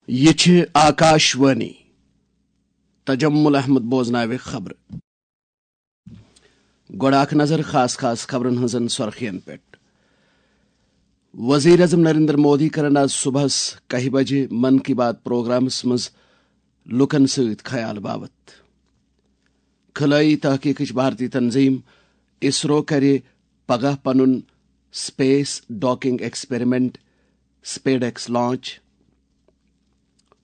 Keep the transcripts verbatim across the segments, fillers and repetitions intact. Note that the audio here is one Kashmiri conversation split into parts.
یہِ چھِ آکاش وانی۔ تجمل احمد بوزناوِ خبرٕ۔ گۄڈٕ اکھ نظر خاص خاص خبرن ہٕنٛزن سۄرخین پٮ۪ٹھ۔ وزیر اعظم نریندر مودی کرن آز صبحس کاہہِ بجہِ من کی بات پروگرامس منٛز لوٗکن سۭتۍ خیال باوت۔ خلٲیی تحقیقٕچ بھارتی تنظیم اسرو کرِ پگاہ پنُن space docking experiment, SpaDeX launch.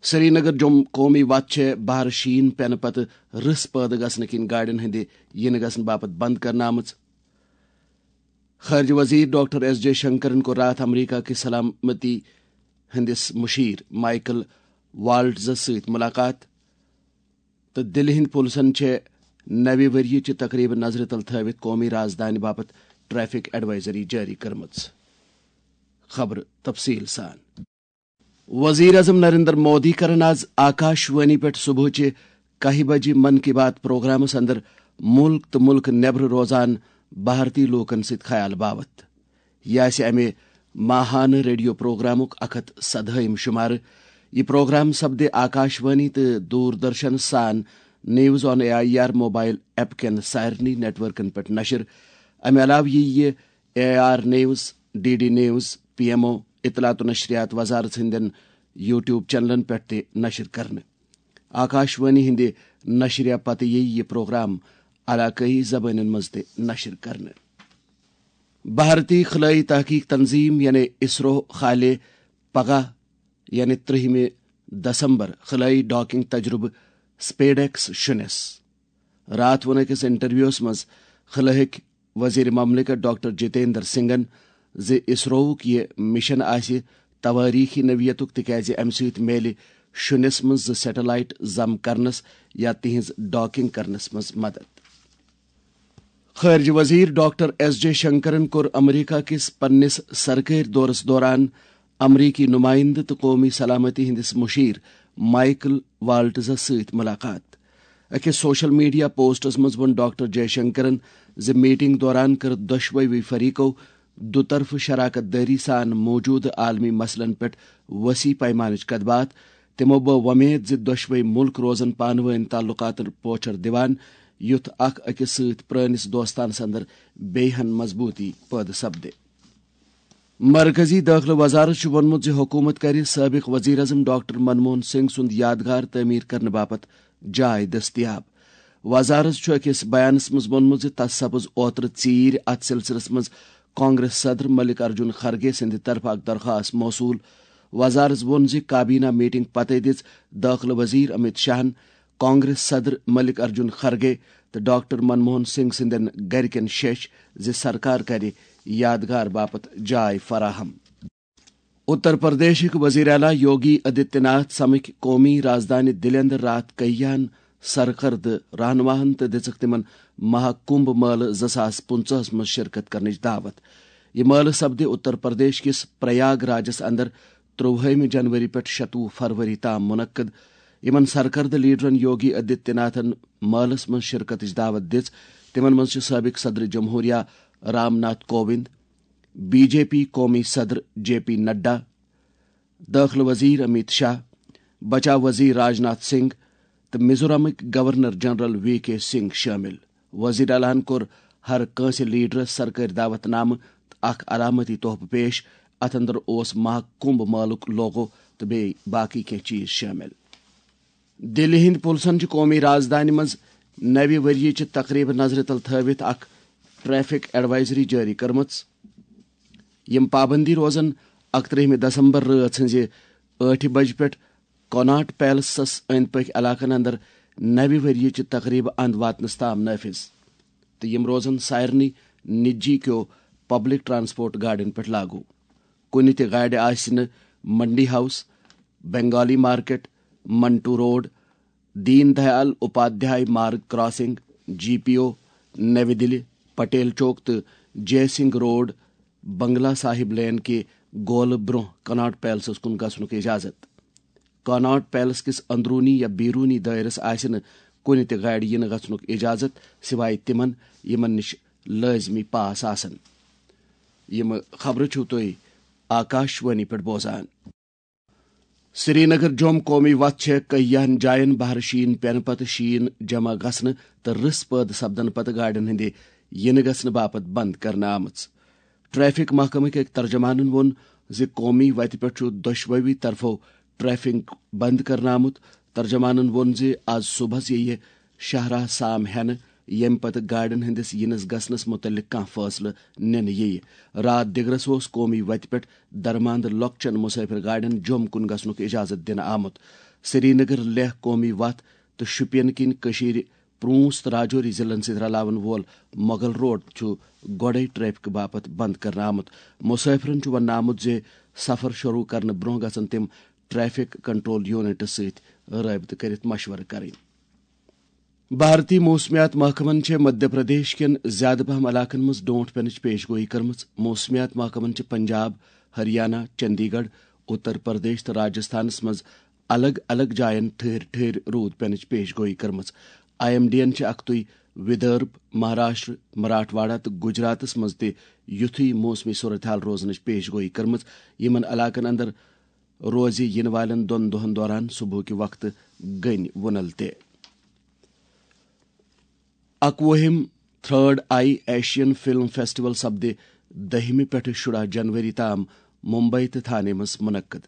Srinagar جوٚم قومی وتھ چھےٚ بہرٕ شیٖن پٮ۪نہٕ پتہٕ رٕژھ پٲدٕ گژھنہٕ کِنۍ گاڑٮ۪ن ہٕنٛدِ یِنہٕ گژھنہٕ باپتھ بنٛد کرنہٕ آمٕژ۔ خارجہ وزیر ڈاکٹر ایس جے شنکرن کوٚر راتھ امریکہ کِس سلامتی ہٕنٛدِس مشیر مائیکل والٹزس سۭتۍ ملاقات، تہٕ دِلہِ ہٕنٛدۍ پُلسن چھےٚ نوِ ؤریہِ چہِ تقریبہٕ نظرِ تل تھٲوِتھ قومی رازدانہِ باپتھ ٹریفک ایڈوائزری جٲری کٔرمٕژ۔ خبرٕ تفصیل سان۔ وزیر اعظم نریندر مودی کرن آز آکاش وانی پٮ۪ٹھ صبحٕچہِ کاہہِ بجہِ من کی بات پروگرامس اندر ملک تہٕ ملک نیبر روزان بھارتی لوٗکن سۭتۍ خیال باوت۔ یہِ آسہِ امہِ ماہانہٕ ریڈیو پروگرامُک اکھ ہتھ سدہٲیِم شمارٕ۔ یہِ پروگرام سپدِ آکاش وانی تہٕ دوردرشن سان news on A I R mobile app کٮ۪ن سارنٕے نیٹ ورکن پٮ۪ٹھ نشر۔ امہِ علاوٕ یِیہِ یہِ A I R news, D D news, P M O, اطلاعات و نشریات وزارت ہٕنٛدٮ۪ن یوٹیوب چینلن پٮ۪ٹھ تہِ نشر کرنہٕ۔ آکاش وانی ہٕنٛدِ نشرِ پتہٕ یِیہِ یہِ پروگرام علاقٲیی زبٲنٮ۪ن منٛز تہِ نشر کرنہٕ۔ بھارتی خلٲیی تحقیق تنظیم یعنی اسرو کھالہِ پگاہ یعنی ترٛہمہِ دسمبر خلٲیی ڈاکنگ تجربہٕ سپیڈ ایکس شُنِس۔ راتھ ووٚن أکِس انٹرویوس منٛز خلٲہٕکۍ وزیر مملکت ڈاکٹر جتیندر سنگھن زِ اسرووُک یہِ مشن آسہِ توٲریخی نوعیتُک، تِکیازِ امہِ سۭتۍ میلہِ شُنِس منٛز زٕ سیٹلائٹ ضم کرنس یا تِہنٛز ڈاکنگ کرنس منٛز مدد۔ خارجہ وزیر ڈاکٹر ایس جے شنکرن کوٚر امریکہ کِس پننِس سرکٲرۍ دورس دوران امریکی نمائندٕ تہٕ قومی سلامتی ہٕنٛدِس مشیر مائیکل والٹزس سۭتۍ ملاقات۔ أکِس سوشل میڈیا پوسٹس منٛز ووٚن ڈاکٹر جے شنکرن زِ میٹنگ دوران کٔر دۄشوٕے فریقو دُطرفہٕ شراکت دٲری سان موجودٕ عالمی مسلن پٮ۪ٹھ وسیع پیمانٕچ کتھ باتھ۔ تِمو بٲو وۄمید زِ دۄشوٕے مُلک روزن پانہٕ وٲنۍ تعلقاتن پوچھر دِوان، یُتھ اکھ أکِس سۭتۍ پرٲنِس دوستانس اندر بیٚیہِ ہن مضبوٗطی پٲدٕ سپدِ۔ مرکزی دٲخلہٕ وزارت چھُ ووٚنمُت زِ حکوٗمت کرِ سٲبِق وزیر اعظم ڈاکٹر منموہن سنگھ سُنٛد یادگار تعمیٖر کرنہٕ باپتھ جاے دٔستیاب۔ وزارت چھُ أکِس بیانس منٛز ووٚنمُت زِ تس سپٕز اوترٕ ژیٖرۍ اتھ سلسلس منٛز کانگریس صدر ملک ارجن خرگے سٕنٛدِ طرفہٕ اکھ درخواست موصول۔ وزارت ووٚن زِ کابینہ میٹنگ پتہٕ دِژ دٲخلہٕ وزیر امیت شاہن کانگریس صدر ملک ارجن خرگے تہٕ ڈاکٹر منموہن سنگھ سٕنٛدٮ۪ن گرِکٮ۪ن شیٚچھ زِ سرکار کرِ یادگار باپتھ جاے فراہم۔ اتر پردیشٕکۍ وزیر اعلیٰ یوگی آدتیہ ناتھ سمکھۍ قومی رازدانہِ دِلہِ اندر راتھ کئیان سرکردٕ رہنماہن تہٕ دِژٕکھ تِمن مہا کمبھ مٲلہٕ زٕ ساس پٕنٛژٕہس منٛز شرکت کرنٕچ دعوت۔ یہِ مٲلہٕ سپدِ اتر پردیش کِس پریاگ راجس اندر ترٛوُہمہِ جنوری پٮ۪ٹھ شتوُہ فروری تام منعقد۔ یِمن سرکردٕ لیڈرن یوگی آدتیہ ناتھن مٲلس منٛز شرکتٕچ دعوت دِژ۔ تِمن منٛز چھِ سٲبق صدر جمہوریہ Ram Nath Kovind, B J P قومی صدر جے پی نڈا، دٲخلہٕ وزیر امیت شاہ، بچاو وزیر راج ناتھ سنگھ تہٕ میزورامٕکۍ گورنر جنرل وی کے سنگھ شٲمِل۔ وزیر اعلیٰ ہن کوٚر ہر کٲنٛسہِ لیڈرس سرکٲرۍ دعوت نامہٕ تہٕ اکھ علامتی تحفہٕ پیش۔ اتھ اندر اوس مہا کمبھ مٲلُک لوگو تہٕ بیٚیہِ باقی کینٛہہ چیز شٲمِل۔ دِلہِ ہٕنٛدۍ پُلسن چھِ قومی رازدانہِ منٛز نوِ ؤریہِ چہِ تقریبہٕ نظرِ تل تھٲوِتھ اکھ ٹریفک ایڈوائزری جٲری کٔرمٕژ۔ یِم پابندی روزن اکترٛہمہِ دسمبر رٲژ ہٕنٛزِ ٲٹھِ بجہِ پٮ۪ٹھ کناٹ پیلسس أنٛدۍ پٔکھۍ علاقن اندر نوِ ؤریہِ چہِ تقریبہٕ اند واتنس تام نافذ، تہٕ یِم روزن سارنٕے نجی کیو پبلک ٹرانسپورٹ گاڑٮ۪ن پٮ۪ٹھ لاگو۔ کُنہِ تہِ گاڑِ آسہِ نہٕ منڈی house, Bengali market, Manto road, دین دیال اپادھیائے مارگ کراسنگ، جی پی او، نوی دِلی، پٹیل چوک تہٕ جے سنگھ روڈ، بنگلہ صاحب لین کہِ گولہٕ برٛونٛہہ کناٹ پیلسس کُن گژھنُک اجازت۔ کناٹ پیلس کِس اندروٗنی یا بیروٗنی دٲیرس آسہِ نہٕ کُنہِ تہِ گاڑِ یِنہٕ گژھنُک اجازت، سوائے تِمن، یِمن نِش لٲزمی پاس آسن۔ یِم خبرٕ چھِو تُہۍ آکاش وانی پٮ۪ٹھ بوزان۔ سرینگر جوم قومی وتھ چھےٚ کینٛہَن جاین بہرٕ شیٖن پینہٕ پتہٕ شیٖن جمع گژھنہٕ تہٕ رٕس پٲدٕ سپدنہٕ پتہٕ گاڑٮ۪ن ہٕنٛدِ یِنہٕ گژھنہٕ باپتھ بند کرنہٕ آمٕژ۔ ٹریفک محکمٕکۍ أکۍ ترجمانن ووٚن زِ قومی وتہِ پٮ۪ٹھ چھُ دۄشوٕے طرفو ٹریفک بند کرنہٕ آمُت۔ ترجمانن ووٚن زِ آز صبحس یِیہِ شاہراہ سام ہٮ۪نہٕ، ییٚمہِ پتہٕ گاڑٮ۪ن ہٕنٛدِس یِنس گژھنس مُتعلق کانٛہہ فٲصلہٕ نِنہٕ یِیہِ۔ راتھ دِگرس اوس قومی وتہِ پٮ۪ٹھ درماندٕ لۄکچٮ۪ن مسافر گاڑٮ۪ن جوٚم کُن گژھنُک اجازت دِنہٕ آمُت۔ سرینگر لیہہ قومی وتھ تہٕ شوپین کِنۍ کٔشیٖرِ پرونس تہٕ راجوری ضلعن سۭتۍ رلاون وول مغل روڈ چھُ گۄڈے ٹریفک باپتھ بند کرنہٕ آمُت۔ مسافرن چھُ وننہٕ آمُت زِ سفر شروع کرنہٕ برونٛہہ گژھن تِم ٹریفک کنٹرول یونٹس سۭتۍ رٲبطہٕ کٔرِتھ مشورٕ کرٕنۍ۔ بھارتی موسمیات محکمن چھےٚ مدھیہ پردیش کٮ۪ن زیادٕ پہم علاقن منٛز ڈونٹھ پینٕچ پیش گویی کٔرمٕژ۔ موسمیات محکمن چھِ پنجاب، ہریانہ، چندی گڑھ، اتر پردیش تہٕ راجستھانس منٛز الگ الگ جاین ٹھہر ٹھہر روٗد پینٕچ پیش گویی کٔرمٕژ۔ آئی ایم ڈی ین چھِ اکھتُے ودرب، مہاراشٹر، مراٹھواڑہ تہٕ گجراتس منٛز تہِ یُتھُے موسمی صورتحال روزنٕچ پیش گویی کٔرمٕژ، یِمن علاقن اندر روزِ یِنہٕ والٮ۪ن دۄن دۄہَن دوران صبحٕکہِ وقتہٕ گٔنۍ وُنل تہِ۔ اَکوُہِم third I Asian film festival سپدِ دٔہِمہِ پٮ۪ٹھٕ شُراہ جنوری تام ممبئی تہٕ تھانے منٛز منعقد۔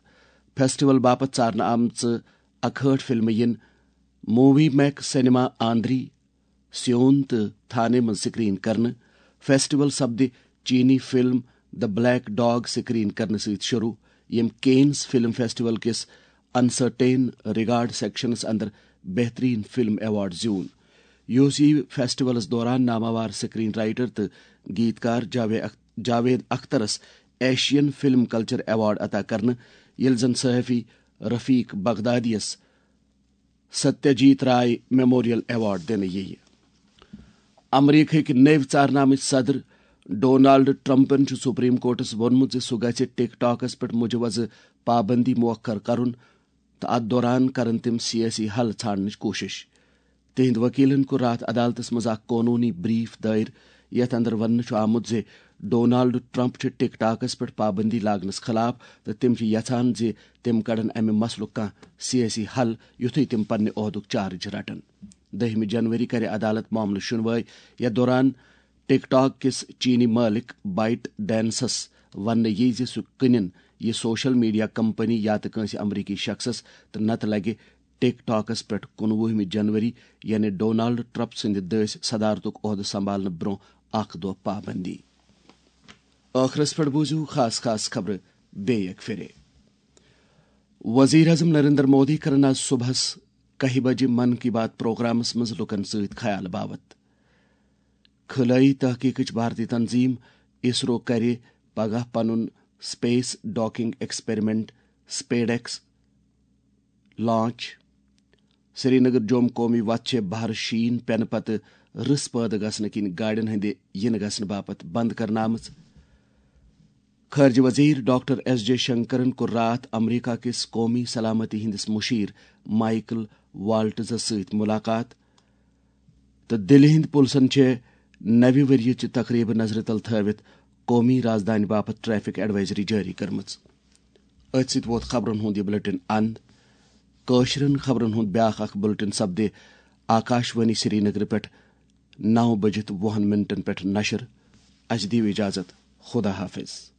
فیسٹیول باپتھ ژارنہٕ آمژٕ اکہٲٹھ فلمہٕ یِن مووی میک سینما آندری، سیون تہٕ تھانے منٛز سکرین کرنہٕ۔ فیسٹیول سپدِ چینی فلم دی بلیک ڈاگ سکرین کرنہٕ سۭتۍ شروع، ییٚمۍ کینز فلم فیسٹیول کِس انسرٹین ریگارڈ سیکشنس اندر بہترین فلم ایوارڈ زیوٗن۔ یہِ اوس یہِ فیسٹیولس دوران ناماوار سکرین رائٹر تہٕ گیتکار جاوے اخ-، جاوید اخترس ایشین فلم کلچر ایوارڈ عطا کرنہٕ، ییٚلہِ زن صحافی رفیق بغدادیس ستیہ جیت رائے میموریل ایوارڈ دِنہٕ یِیہِ۔ امریکہٕکۍ نٔوۍ ژارنامٕتۍ صدر ڈونالڈ ٹرمپن چھُ سپریم کورٹس ووٚنمُت زِ سُہ گژھِ ٹک ٹاکس پٮ۪ٹھ مجوزٕ پابندی موخر کرُن تہٕ اتھ دوران کرن تِم سیٲسی حل ژھانڈنٕچ کوٗشش۔ تِہنٛدۍ وکیلن کوٚر راتھ عدالتس منٛز اکھ قونوٗنی بریف دٲیر، یتھ اندر وننہٕ چھُ آمُت زِ ڈونالڈ ٹرمپ چھُ ٹک ٹاکس پٮ۪ٹھ پابندی لاگنس خلاف تہٕ تِم چھِ یژھان زِ تِم کڑن امہِ مسلُک کانٛہہ سیٲسی حل، یُتھُے تِم پننہِ عہدُک چارج رٹن۔ دٔہمہِ جنوری کرِ عدالت معاملہٕ شُنوٲے۔ یتھ دوران ٹک ٹاک کِس چینی مٲلِک بائٹ ڈینسس وننہٕ یِیہِ زِ سُہ کٕنِن یہِ سوشل میڈیا کمپنی یا تہٕ کٲنٛسہِ امریکی شخصس، تہٕ نتہٕ لگہِ ٹک ٹاکس پٮ۪ٹھ کُنوُہمہِ جنوری، یعنی ڈونالڈ ٹرمپ سٕنٛدِ دٔسۍ صدارتُک عہدٕ سنبھالنہٕ برٛونٛہہ اکھ دۄہ پابندی۔ ٲخرس پٮ۪ٹھ بوٗزِو خاص خاص خبرٕ بیٚیہِ اکہِ پھِرِ۔ وزیر اعظم نریندر مودی کرن آز صبحس کاہہِ بجہِ من کی بات پروگرامس منٛز لوٗکن سۭتۍ خیال باوت۔ خلٲیی تحقیقٕچ بھارتی تنظیم اسرو کرِ پگاہ پنُن space docking experiment, SpaDeX, launch. Srinagar جوم قومی وتھ چھےٚ بہر شیٖن پینہٕ پتہٕ رٕس پٲدٕ گژھنہٕ کِنۍ گاڑٮ۪ن ہٕنٛدِ یِنہٕ گژھنہٕ باپتھ بند کرنہٕ آمٕژ۔ خارجہ وزیر ڈاکٹر ایس جے شنکرن کوٚر راتھ امریکہ کِس قومی سلامتی ہٕنٛدِس مشیر مائیکل والٹزس سۭتۍ ملاقات۔ تہٕ دِلہِ ہٕنٛدۍ پُلسن چھےٚ نوِ ؤریہِ چہِ تقریبہٕ نظرِ تل تھٲوِتھ قومی رازدانہِ باپتھ ٹریفک ایڈوائزری جٲری کٔرمٕژ۔ أتھۍ سۭتۍ ووت خبرن ہُنٛد یہِ بلیٹن اند۔ کٲشرٮ۪ن خبرن ہُنٛد بیاکھ اکھ بلیٹن سپدِ آکاش وانی سرینگرٕ پٮ۪ٹھ نو بجِتھ وُہن منٹن پٮ۪ٹھ نشر۔ اسہِ دِیِو اجازت۔ خدا حافظ۔